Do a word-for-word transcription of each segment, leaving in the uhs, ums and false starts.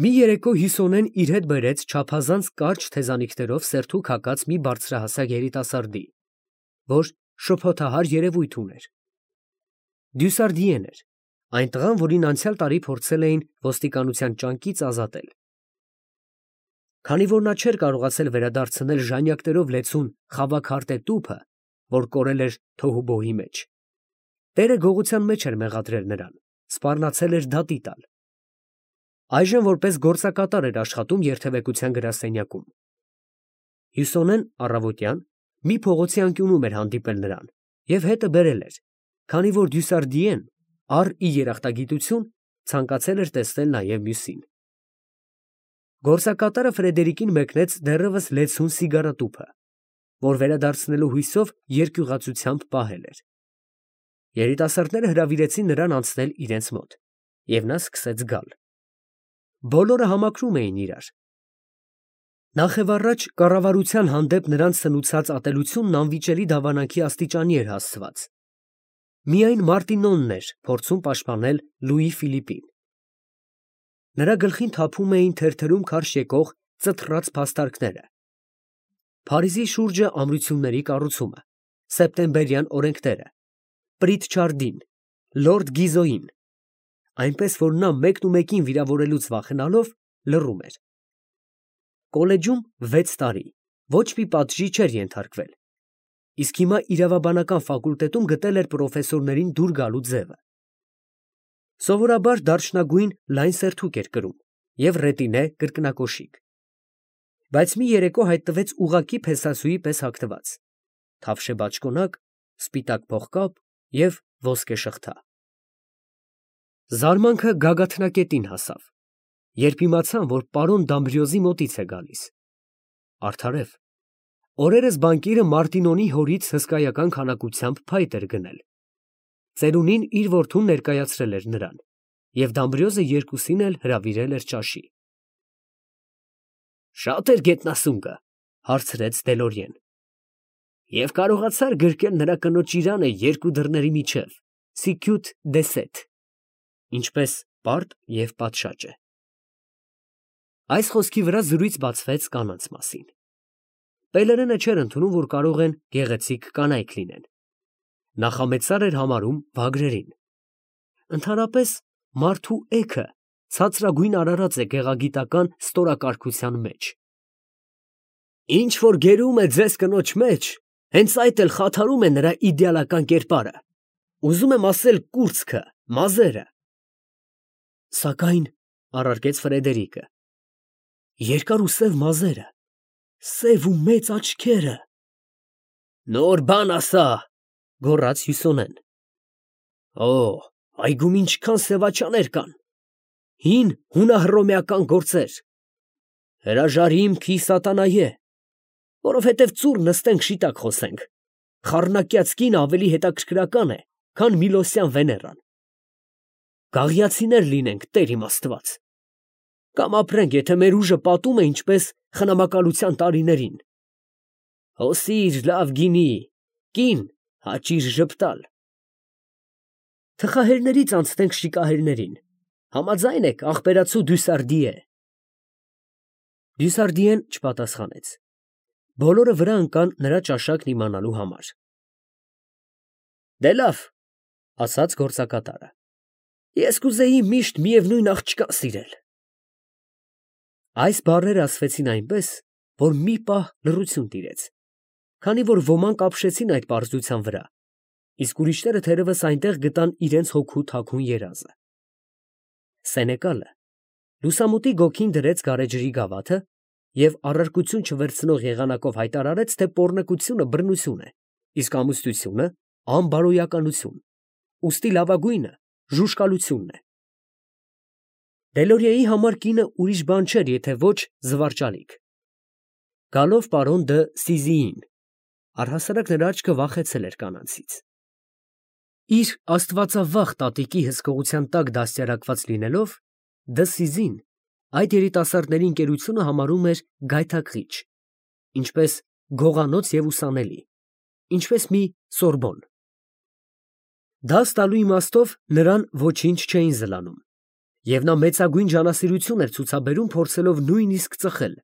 Մի երեկո Հյուսոնեն իր հետ բերեց չափազանց կարճ թեզանիքներով սերթու քակած մի բարձրահասակ երիտասարդի, որ շփոթահար երևույթ ուներ։ Դյուսարդիեն էր, այն տղան, որին անցյալ տարի փորձել էին ոստիկանության ճանկից ազատել։ Քանի որ նա չէր կարողացել վերադարձնել ժանյակներով լեցուն խավաքարտե տուփը, որ կորել էր թոհուբոհի մեջ, տերը գողության մեջ էր մեղադրել նրան, սպառնացել էր դատի տալ։ Այժմ որպես գործակատար էր աշխատում երթևեկության գրասենյակում։ Հյուսոնեն առավոտյան մի փողոցի անկյունում էր հանդիպել նրան և հետը բերել էր, քանի որ Դյուսարդիեն առ ի երախտագիտություն ցանկացել էր տեսնել նաև մյուսին։ Գործակատարը Ֆրեդերիկին մեկնեց դեռևս լեցուն սիգարատուփը, որ վերադարձնելու հույսով երկյուղածությամբ պահել էր։ Երիտասարդները հրավիրեցին նրան անցնել իրենց մոտ, և նա սկսեց գալ։ Բոլորը համակրում էին իրար։ Նախևառաջ կառավարության հանդեպ նրանց սնուցած ատելությունն անվիճելի դավանանքի աստիճանի էր հասցված։ Միայն Մարտինոնն էր փորձում պաշտպանել Լուի Ֆիլիպին։ Նրա գլխին թափում էին թերթերում քարշ եկող ծթռած փաստարկները. Փարիզի շուրջը ամրությունների կառուցումը, սեպտեմբերյան օրենքները, Պրիտչարդին, լորդ Գիզոյին, այնպես որ նա մեկնումեկին վիրավորելուց վախենալով լռում էր։ Կոլեջում վեց տարի ոչ մի պատժի չէր ենթարկվել, իսկ հիմա իրավաբանական ֆակուլտետում գտել էր պրոֆեսորներին դուր գալու ձևը։ Սովորաբար դարչնագույն լայն սերթուկ էր կրում և ռետինե կրկնակոշիկ, բայց մի երեկո հայտնվեց ուղղակի փեսասուի պես հագնված, թավշե բաճկոնակ, սպիտակ փողկապ և ոսկե շղթա։ Զարմանքը գագաթնակետին հասավ, երբ իմացան, որ պարոն Դամբրիոզի մոտից է գալիս։ Արդարև, օրերս բանկիրը Մարտինոնի հորից հսկայական քանակությամբ փայտ էր գնել։ Ծերունին իր որդուն ներկայացրել էր նրան, և Դամբրիոզը երկուսին էլ հրավիրել էր ճաշի։ Շա՞տ էր գետնասունկը, հարցրեց Դելորիեն։ Եվ կարողացա՞ր գրկել նրա կնոջ իրանը երկու դռների միջև, սիկյութ դեսեթ, ինչպես պարտ և պատշաճ է։ Այս խոսքի վրա զրույց բացվեց կանանց մասին։ Պելերենը չէր ընդունում, որ կարող են գեղեցիկ կանայք լինեն։ Նախամեծար էր համարում վագրերին։ Ընդհանրապես, մարդու էգը ցածրագույն արարած է գեղագիտական ստորակարգության մեջ։ Ինչ որ գերում է ձեզ կնոջ մեջ, հենց այդ էլ խաթարում է նրա իդեալական կերպարը, ուզում եմ ասել կուրծքը, մազերը։ Սակայն, առարկեց Ֆրեդերիկը, երկար ու սև մազերը, սև ու մեծ աչքերը։ Նոր բան ասա, գոռաց Հյուսոնեն։ Օ, այգում ինչքան սևաչաներ կան, հին հունահռոմեական գործեր։ Հրաժարիմքի սատանայե, որովհետև ծուռ նստենք շիտակ խոսենք, խառնակյաց կինը ավելի հետաքրքրական է, քան Միլոսյան Վեներան։ Գաղիացիներ լինենք, Տեր իմ Աստված, կամ ապրենք, եթե մեր ուժը պատում է ինչպես խնամակալության տարիներին։ Հոսիր լավ գինի, կին հաճիր ժպտալ։ Թխահերներից անցնենք շիկահերներին, համաձայն եք, աղբերացու Դյուսարդիե։ Դյուսարդիեն չպատասխանեց։ Բոլորը վրա ընկան նրա ճաշակն իմանալու համար։ Դե լավ, ասաց գործակատարը, ես կուզեի միշտ միևնույն աղջկան սիրել։ Այս բառերը ասվեցին այնպես, որ մի պահ լռություն տիրեց, քանի որ ոմանք ապշեցին այդ պարզության վրա, իսկ ուրիշները թերևս այնտեղ գտան իրենց հոգու թաքուն երազը։ Սենեկալը լուսամուտի գոգին դրեց գարեջրի գավաթը և առարկություն չվերցնող եղանակով հայտարարեց, թե պոռնկությունը բռնություն է, իսկ ամուսնությունը անբարոյականություն, ուստի լավագույնը ժուժկալությունն է։ Դելորիեի համար կինը ուրիշ բան չէր, եթե ոչ զվարճալիք։ Գալով պարոն դը Սիզիին, առհասարակ նրա աչքը վախեցել էր կանանցից։ Իր աստվածավախ տատիկի հսկողության տակ դաստիարակված լինելով, դը Սիզին այդ երիտասարդների ընկերությունը համարում էր գայթակղիչ, ինչպես գողանոց և ուսանելի, ինչպես մի Սորբոն։ Դաս տալու իմաստով նրան ոչինչ չէին զլանում, Եվ նա մեծագույն ջանասիրություն էր ցուցաբերում, փորձելով նույնիսկ ծխել,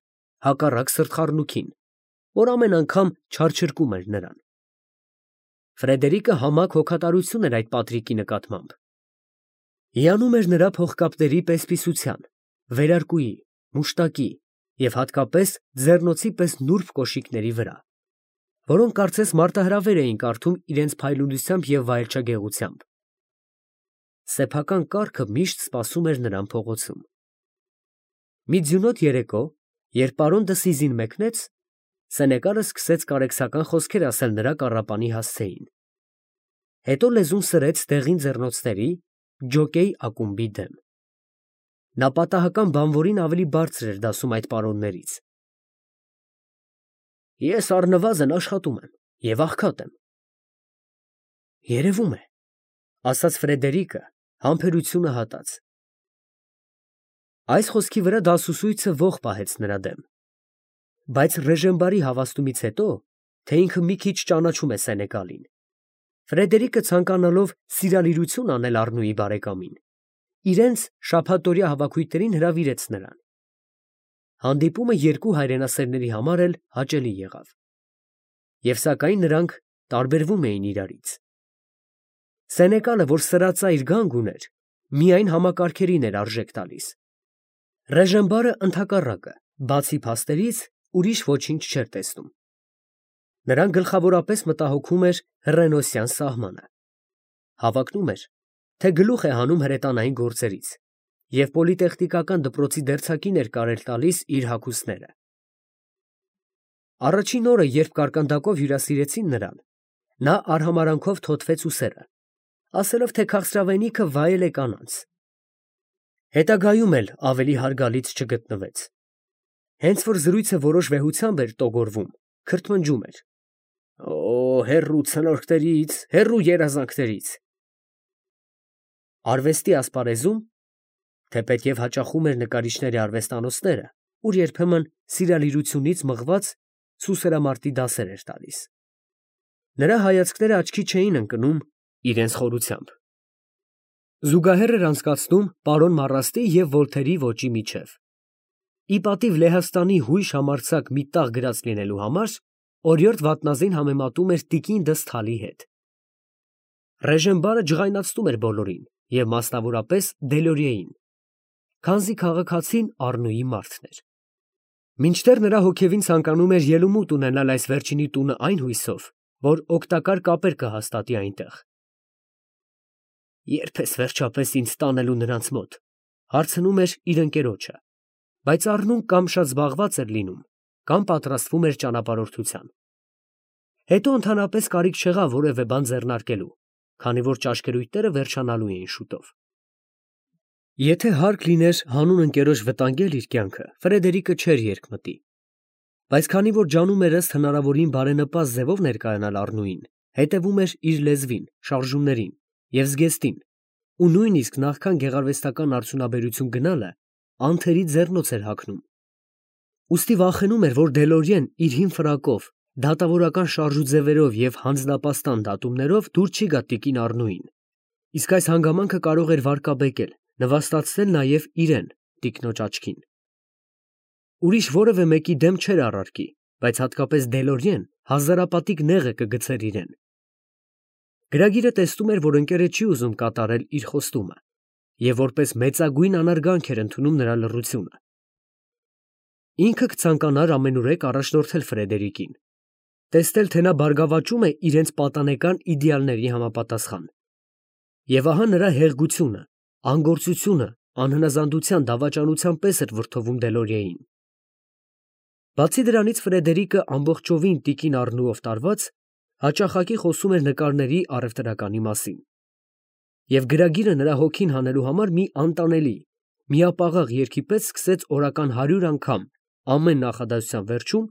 հակառակ սրտխառնուքին, որ ամեն անգամ չարչրկում էր նրան։ Ֆրեդերիկը համակ հոգատարություն էր այդ Պատրիկի նկատմամբ։ Հիանում էր նրա փողկապների պես֊պիսության, վերարկուի, մուշտակի և հատկապես ձեռնոցի պես նուրբ կոշիկների վրա, որոնք կարծես մարտահրավեր էին կարդում իրենց փայլունությամբ և վայելչագեղությամբ։ Սեփական կառքը միշտ սպասում էր նրան փողոցում։ Մի ձյունոտ երեկո, երբ պարոն Դսիզին մեկնեց, Սենեկալը սկսեց կարեկցական խոսքեր ասել նրա կառապանի հասցեին։ Հետո լեզուն սրեց դեղին ձեռնոցների, ջոկեյ ակումբի դեմ։ Նա պատահական բանվորին ավելի բարձր էր դասում այդ պարոններից։ Ես առնվազն աշխատում եմ և աղքատ եմ։ Երևում է, ասաց Ֆրեդերիկը, համբերությունը հատած։ Այս խոսքի վրա դասուսույցը ոխ պահեց նրա դեմ։ Բայց Ռեժեմբարի հավաստումից հետո, թե ինքը մի քիչ ճանաչում է Սենեկալին, Ֆրեդերիկը ցանկանալով սիրալիրություն անել Առնուի բարեկամին, իրենց շաբաթօրյա հավաքույթներին հրավիրեց նրան։ Հանդիպումը երկու հայրենասերների համար էլ հաճելի եղավ։ Եվ սակայն նրանք տարբերվում էին իրարից։ Սենեկալը, որ սրածայր գանգ ուներ, միայն համակարգերին էր արժեք տալիս։ Ռեժեմբարը ընդհակառակը, բացի փաստերից, ուրիշ ոչինչ չէր տեսնում։ Նրան գլխավորապես մտահոգում էր հռենոսյան սահմանը։ Հավակնում էր, թե գլուխ է հանում հրետանային գործերից և պոլիտեխնիկական դպրոցի դերձակին էր կարել տալիս իր հագուստները։ Առաջին օրը, երբ կարկանդակով հյուրասիրեցին նրան, նա արհամարանքով թոթվեց ուսերը, ասելով, թե քաղցրավենիքը վայել է կանանց։ Հետագայում էլ ավելի հարգալից չգտնվեց։ Հենց որ զրույցը որոշ վեհությամբ էր տոգորվում, քրթմնջում էր. «Օ, հեռու ցնորքներից, հեռու երազանքներից»։ Արվեստի ասպարեզում, թեպետև հաճախում էր նկարիչների արվեստանոցները, ուր երբեմն սիրալիրությունից մղված սուսերամարտի դասեր էր տալիս, նրա հայացքները աչքի չէին ընկնում իրենց խորությամբ։ Զուգահեռ էր անցկացնում պարոն Մարաստի և Վոլթերի ոճի միջև։ Ի պատիվ Լեհաստանի հույժ համարձակ մի տաղ գրած լինելու համար, օրիորդ Վատնազին համեմատում էր տիկին Դսթալի հետ։ Ռեժեմբարը ջղայնացնում էր բոլորին և մասնավորապես Դելորիեին, քանզի քաղաքացին Առնուի մարդն էր։ Մինչդեռ նրա հոգևին ցանկանում էր ելումուտ ունենալ այս վերջինի տունը այն հույսով, որ օգտակար կապեր կհաստատի այնտեղ։ Ե՞րբ ես վերջապես ինձ տանելու նրանց մոտ, հարցնում էր իր ընկերոջը, բայց Առնուն կամ շատ զբաղված էր լինում, կամ պատրաստվում էր ճանապարհորդության։ Հետո ընդհանրապես կարիք չեղավ որևէ բան ձեռնարկելու, քանի որ ճաշկերույթները վերջանալու էին շուտով։ Եթե հարկ լիներ հանուն ընկերոջ վտանգել իր կյանքը, Ֆրեդերիկը չէր երկմտի։ Բայց քանի որ ջանում էր ըստ հնարավորին բարենպաստ ձևով ներկայանալ Առնուին, հետևում էր իր լեզվին, շարժումներին և զգեստին, ու նույնիսկ նախքան գեղարվեստական արդյունաբերություն գնալը, անթերի ձեռնոց էր հագնում։ Ուստի վախենում էր, որ Դելորիեն իր հին ֆրակով, դատավորական շարժուձևերով և հանձնապաստան դատումներով դուր չի գա տիկին Առնուին, իսկ այս հանգամանքը կարող էր վարկաբեկել, նվաստացնել նաև իրեն, տիկնոջ աչքին։ Ուրիշ որևէ մեկի դեմ չէր առարկի, բայց հատկապես Դելորիեն հազարապատիկ նեղ է կգցեր իրեն։ Գրագիրը տեսնում էր, որ ընկերը չի ուզում կատարել իր խոստումը և որպես մեծագույն անարգանք էր ընդունում նրա լռությունը։ Ինքը կցանկանար ամենուրեք առաջնորդել Ֆրեդերիկին, տեսնել, թե նա բարգավաճում է իրենց պատանեկան իդեալների համապատասխան։ Եվ ահա նրա հեղգությունը, անգործությունը անհնազանդության դավաճանության պես էր վրդովում Դելորիեին։ Բացի դրանից Ֆրեդերիկը ամբողջովին տիկին Առնուով տարված, հաճախակի խոսում էր նկարների առևտրականի մասին։ Եվ գրագիրը նրա հոգին հանելու համար մի անտանելի, միապաղաղ երգի պես սկսեց օրական հարյուր անգամ ամեն նախադասության վերջում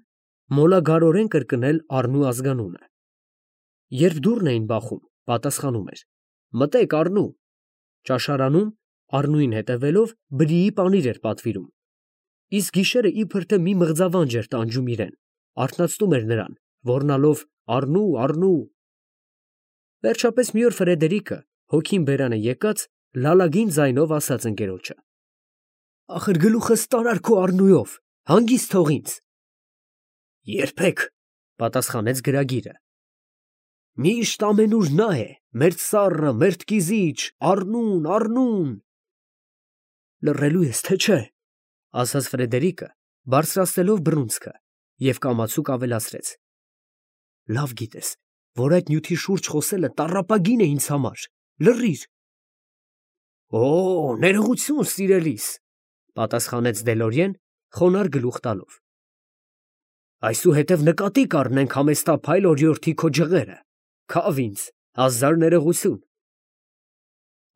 մոլագարորեն կրկնել Առնու ազգանունը։ Երբ դուռն էին բախում, պատասխանում էր. «Մտե՛ք, Առնու»։ Ճաշարանում, Առնուին հետևելով, բրիի պանիր էր պատվիրում, իսկ գիշերը իբր թե մի մղձավանջ էր տանջում իրան, արթնացնում էր նրան, ոռնալով «Առնու, Առնու»։ Վերջապես մի օր Ֆրեդերիկը, հոգին բերանը եկած, լալագին ձայնով ասաց ընկերոջը. «Ախր գլուխս տարար քո առնույով, հանգիստ թող ինձ»։ «Երբեք», պատասխանեց գրագիրը։ «Միշտ ամենուր նա է, մերթ սառը, մերթ կիզիչ, առնուն, առնուն»։ «Լռելու ես, թե չէ», ասաց Ֆրեդերիկը, բարձրացնելով բռունցքը, և կամացուկ ավելացրեց. «Լավ գիտես, որ այդ նյութի շուրջ խոսելը տառապագին է ինձ համար, լռիր»։ «Օ, ներողություն, սիրելիս», պատասխանեց Դելորիեն, խոնարհ գլուխ տալով։ «Այսուհետև նկատի կառնենք համեստափայլ օրիորդի քո ջղերը, քավ ինձ, հազար ներողություն»։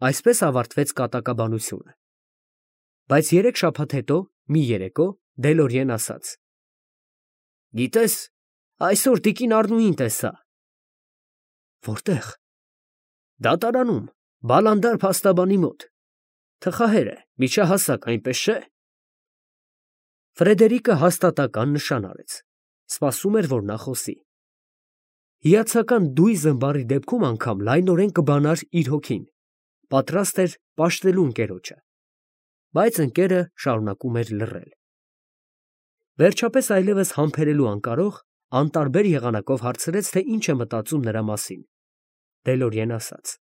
Այսպես ավարտվեց կատակաբանությունը։ Բայց երեք շաբաթ հետո, մի երեկո, Դելորիեն ասաց. «Գիտես, այսօր տիկին Առնուին տեսա»։ «Որտե՞ղ»։ «Դատարանում, Բալանդար փաստաբանի մոտ։ Թխահեր է, միջահասակ, այնպես չէ»։ Ֆրեդերիկը հաստատական նշան արեց, սպասում էր, որ նա խոսի։ Հիացական դույզ ըմբառի դեպքում անգամ լայնորեն կբանար իր հոգին, պատրաստ էր պաշտելու ընկերոջը։ Բայց ընկերը շարունակում էր լռել։ Վերջապես այլևս համբերելու անկարող, անտարբեր եղանակով հարցրեց, թե ինչ է մտածում նրա մասին։ Դելորիեն ասաց.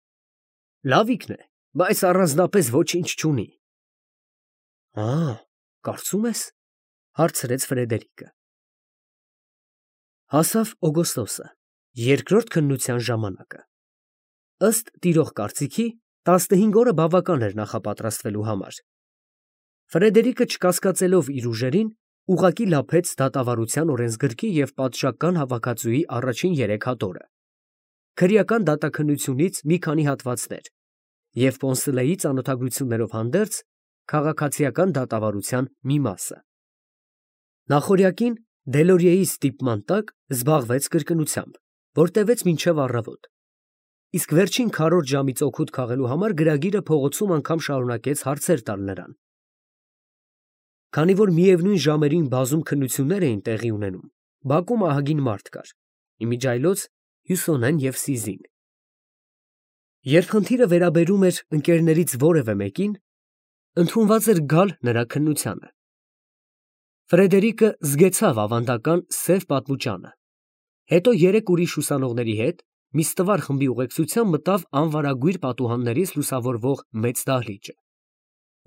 «Լավիկն է, բայց առանձնապես ոչինչ չունի»։ «Ա, կարծում ես», հարցրեց Ֆրեդերիկը։ Հասավ օգոստոսը, երկրորդ քննության ժամանակը։ Ըստ տիրող կարծիքի, տասնհինգ օրը բավական էր նախապատրաստվելու համար։ Ֆրեդերիկը, չկասկածելով իր ուժերին, ուղղակի լափեց դատավարության օրենսգրքի և պատշգամբական հավաքածուի առաջին երեք հատորը, քրեական դատաքննությունից մի քանի հատվածներ և Պոնսլեի ծանոթագրություններով հանդերձ քաղաքացիական դատավարության մի մասը։ Նախօրյակին Դելորիեի ստիպման տակ զբաղվեց կրկնությամբ, որ տևեց մինչև առավոտ, իսկ վերջին քառորդ ժամից օգուտ քաղելու համար գրագիրը փողոցում անգամ շարունակեց հարցեր տալ նրան։ Քանի որ միևնույն ժամերին բազում քննություններ էին տեղի ունենում, բակում ահագին մարդ կար, իմիջիայլոց Հյուսոնեն և Սիզին։ Երբ խնդիրը վերաբերում էր ընկերներից որևէ մեկին, ընդունված էր գալ նրա քննությանը։ Ֆրեդերիկը զգեցավ ավանդական սև պատմուճանը, հետո երեք ուրիշ ուսանողների հետ մի ստվար խմբի ուղեկցությամբ մտավ անվարագույր պատուհաններից լուսավորվող մեծ դահլիճը,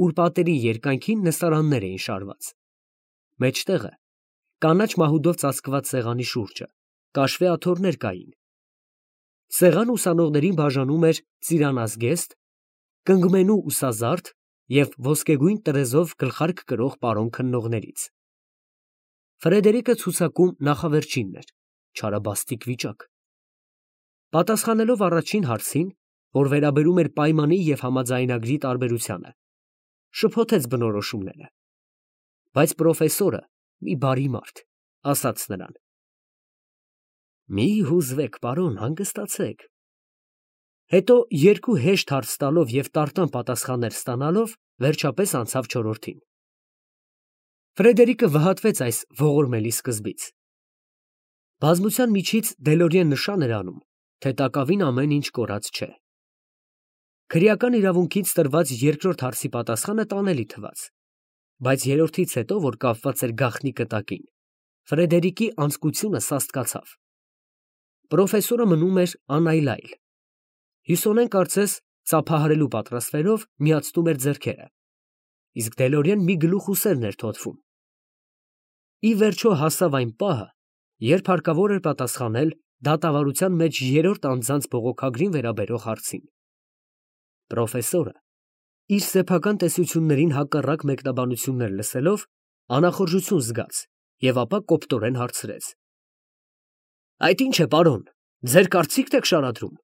ուր պատերի երկայնքին նստարաններ էին շարված։ Մեջտեղը, կանաչ մահուդով ծածկված սեղանի շուրջը, կաշվե աթոռներ կային։ Սեղան ուսանողներին բաժանում էր ծիրանազգեստ, կնգմենու ուսազարդ և ոսկեգույն տրեզով գլխարկ կրող պարոն քննողներից։ Ֆրեդերիկը ցուցակում նախավերջինն էր, չարաբաստիկ վիճակ։ Պատասխանելով առաջին հարցին, որ վերաբերում էր պայմանի և համաձայնագրի տարբերությանը, շփոթեց բնորոշումները։ Բայց պրոֆեսորը, մի բարի մարդ, ասաց նրան. «Մի հուզվեք, պարոն, հանգստացեք»։ Հետո երկու հեշտ հարց տալով և տարտան պատասխաններ ստանալով, վերջապես անցավ չորրորդին։ Ֆրեդերիկը վհատվեց այս ողորմելի սկզբից։ Բազմության միջից Դելորիեն նշան էր անում, թե տակավին ամեն ինչ կորած չէ։ Քրեական իրավունքից տրված երկրորդ հարցի պատասխանը տանելի թվաց, բայց երրորդից հետո, որ կապված էր գաղտնի կտակին, Ֆրեդերիկի անձկությունը սաստկացավ։ Պրոֆեսորը մնում էր անայլայլ։ Հյուսոնեն կարծես ծափահարելու պատրաստվելով միացնում էր ձեռքերը, իսկ Դելորիեն մի գլուխ ուսերն էր թոթվում։ Ի վերջո հասավ այն պահը, երբ հարկավոր էր պատասխանել դատավարության մեջ երրորդ անձանց բողոքագրին վերաբերող հարցին։ Պրոֆեսորը, իր սեփական տեսություններին հակառակ մեկնաբանություններ լսելով, անախորժություն զգաց և ապա կոպտորեն հարցրեց. «Այդ ի՞նչ է, պարոն, ձեր կարծիքն եք շարադրում։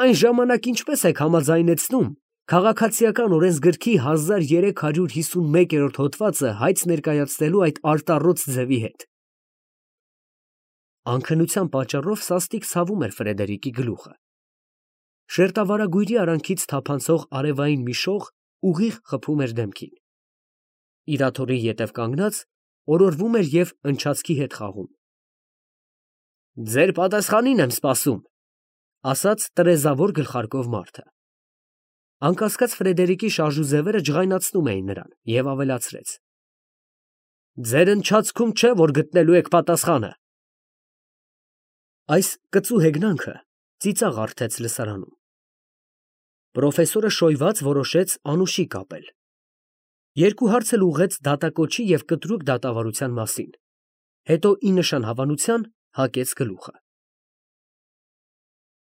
Այն ժամանակ ինչպե՞ս եք համաձայնեցնում քաղաքացիական օրենսգրքի հազար երեք հարյուր հիսունմեկերորդ հոդվածը հայց ներկայացնելու այդ արտառոց ձևի հետ»։ Անքնության պատճառով սաստիկ ցավում էր Ֆրեդերիկի գլուխը։ Շերտավարագույրի արանքից թափանցող արևային մի շող ուղիղ խփում էր դեմքին։ Իր աթոռի ետև կանգնած, օրորվում էր և ընչացքի հետ խաղում։ «Ձեր պատասխանին եմ սպասում», ասաց տրեզավոր գլխարկով մարդը։ Անկասկած Ֆրեդերիկի շարժուձևերը ջղայնացնում էին նրան և ավելացրեց. ձեր ընչացքում չէ, որ գտնելու եք պատասխանը։ Այս կծու հեգնանքը ծիծաղ առթեց լսարանում։ Պրոֆեսորը շոյված որոշեց անուշի կապել. երկու հարց էլ ուղղեց դատակոչի և կտրուկ դատավարության մասին, հետո ի նշան հավանության հակեց գլուխը։